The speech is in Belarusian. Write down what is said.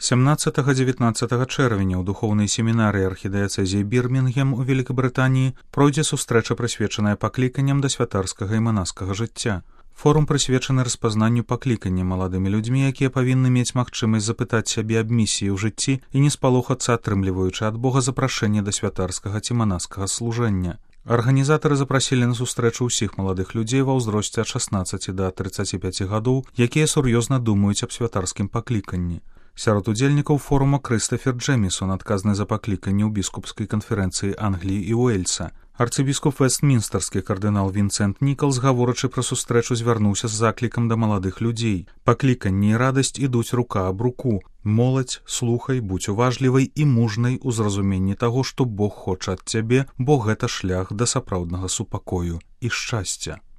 17-19 чэрвеня ў духоўнай семінарыі архідыяцэзіі Бірмінгем у Великабрытаніі пройдзе сустрэча, прысвечаная пакліканням да святарскага і манаскага жыцця. Форум прысвечаны распазнанню паклікання маладымі людзьмі, якія павінны мець магчымасць запытаць сябе аб місіі ў жыцці і не спалохацца, атрымліваючы ад Бога запрашэнне да святарскага ці манаскага служэння. Арганізатары запрасілі на сустрэчу ўсіх маладых людзей ва ўзросце ад 16 да 35 гадоў, якія сур'ёзна думаюць аб святарскім пакліканні. Сярод удзельнікаў форума Крыстафер Джэмісон, адказны за пакліканне ў біскупскай канферэнцыі Англіі і Уэльса. Арцыбіскуп вестмінстарскі кардынал Вінсент Нікалс, гаворачы пра сустрэчу, звярнуўся з заклікам да маладых людзей. Пакліканне і радасць ідуць рука аб руку. Моладзь, слухай, будзь уважлівай і мужнай у зразуменні таго, што Бог хоча ад цябе, бо гэта шлях да сапраўднага супакою і шчасця.